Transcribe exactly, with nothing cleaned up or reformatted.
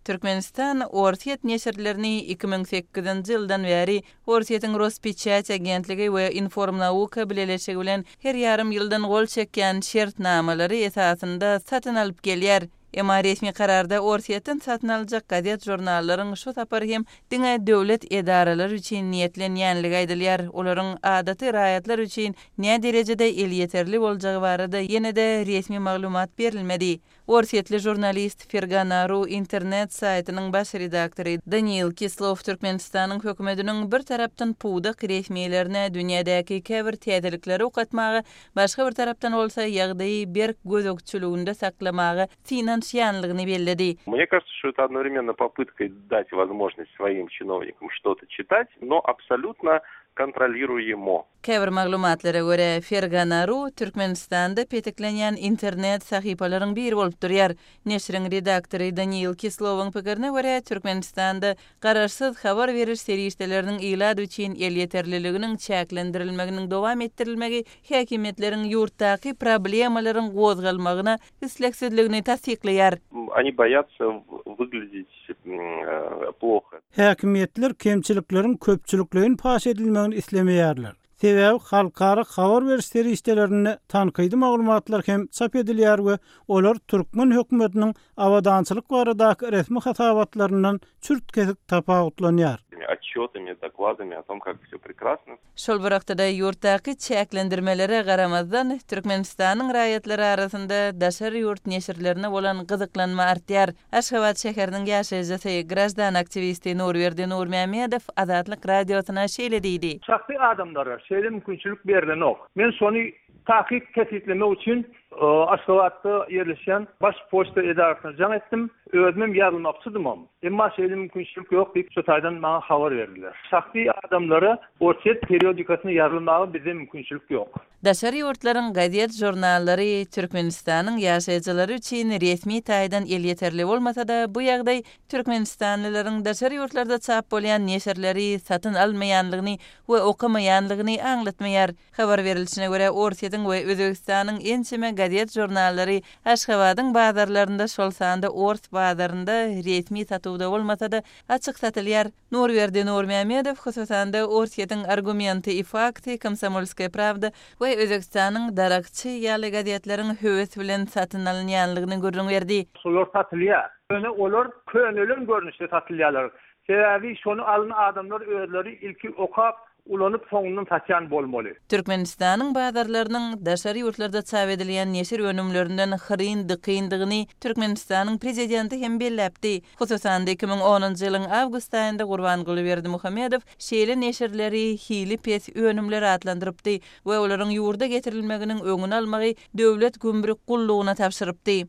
Türkmenistan Orsýet neşirlerini iki müň sekizinji ýyldan bäri Orsýetiň Rospeçat agentligi we Informnauka bileleşigi bilen her ýarym ýyldan gol çekýän şertnamalary esasynda satyn alyp gelýär. Emma resmi kararda Orsýetden satyn aljak gazet-žurnallaryň şu sapar hem diňe döwlet edaralary üçin niýetlenýänligi aýdylýar. Olaryň adaty raýatlar üçin näderejede elýeterli boljagy barada ýene-de resmi maglumat berilmedi. Orsýetli žurnalist Fergana.ru internet saýtynyň baş redaktory Daniil Kislow Türkmenistanyň hökümetiniň bir tarapdan pudak resmilerine dünýädäki käbir täzelikleri okatmaga, başga bir tarapdan bolsa ýagdaýy berk gözegçiliginde saklamaga synanyşýanlygyny belledi. Мне кажется, что это одновременно попытка дать возможность своим чиновникам что-то читать, но абсолютно контролируемо. Käbir maglumatlara görä, Fergana.ru Türkmenistanda peteklenýän internet sahypalaryň biri bolup durýar. Neşiriň redaktory Daniil Kislowyň pikirine görä, Türkmenistanda garaşsyz habar beriş serişdeleriniň ilat üçin elýeterliliginiň çäklendirilmeginiň dowam etdirilmegi häkimiýetleriň ýurtdaky problemalaryň gozgalmagyna islegsizligini tassyklaýar. Они боятся выглядеть, м, плохо. Häkimiýetler kemçilikleriň köpçülikleýin paş edilmegini islemeýärler. Sebäbi halkara habar beriş serişdelerinde tankydy maglumatlar hem çap edilýär we olar türkmen hökümetiniň abadançylyk baradaky resmi hasabatlaryndan çürt kesik tapawutlanýar. Отчетами, докладами о том, как все прекрасно. Şol bir wagtda ýurtdaky çäklendirmelere garamazdan Türkmenistanyň raýatlary arasynda daşary ýurt neşirlerine bolan gyzyklanma artýar. Aşgabat şäheriniň ýaşaýjysy, grajdan aktiwisti Nurberdi Nurmämmedow Azatlyk radiosyna şeýle diýdi. Şahsy adamlara şeýle mümkinçilik berilenok. Men şony takyk kesgitlemek üçin, e, Aşgabatda ýerleşen baş poçta edarasyna jaň etdim. Özüm ýazylmakçydym. Emma şeýle mümkinçilik ýok diýip şu taýdan maňa habar berdiler. Şahsy adamlara Orsýet periodikasyna ýazylmaga bize mümkinçilik ýok. Daşary ýurtlaryň gazet žurnallary Türkmenistanyň ýaşaýjylary üçin resmi taýdan elýeterli bolmasa-da, bu ýagdaý Türkmenistanlylaryň daşary ýurtlarda çap bolýan neşirleri satyn almaýanlygyny we okamaýanlygyny aňlatmaýar. Habar berilişine görä, Orsýetiň we Özbegistanyň ençeme gazet žurnallary Aşgabadyň bazarlarynda, şol sanda Ors bazarynda resmi satuwda bolmasa-da açyk satylýar. Nurberdi Nurmämmedow hususan-da Orsýetiň Argumenty i Fakty, Komsomolskaya Pravda we Özbegistanyň Darakçy ýaly gazetleriň höwes bilen satyn alynýanlygyny gürrüň berdi. Şolar satylýar. Ýöne olar könelen görnüşde satylýarlar. Sebäbi şony alan adamlar özleri ilki okap, ulanyp soňundan satýan bolmaly. Türkmenistanyň bazarlarynyň daşary ýurtlarda çap edilýän neşir önümlerinden hyryn dykyndygyny Türkmenistanyň prezidenti hem belläpdi. Hususan-da iki müň onunjy ýylyň awgust aýynda Gurbanguly Berdimuhamedow şeýle neşirleri hili pes önümler atlandyrypdy we olaryň ýurda getirilmeginiň öňüni almagy döwlet gümrük gullugyna tabşyrypdy.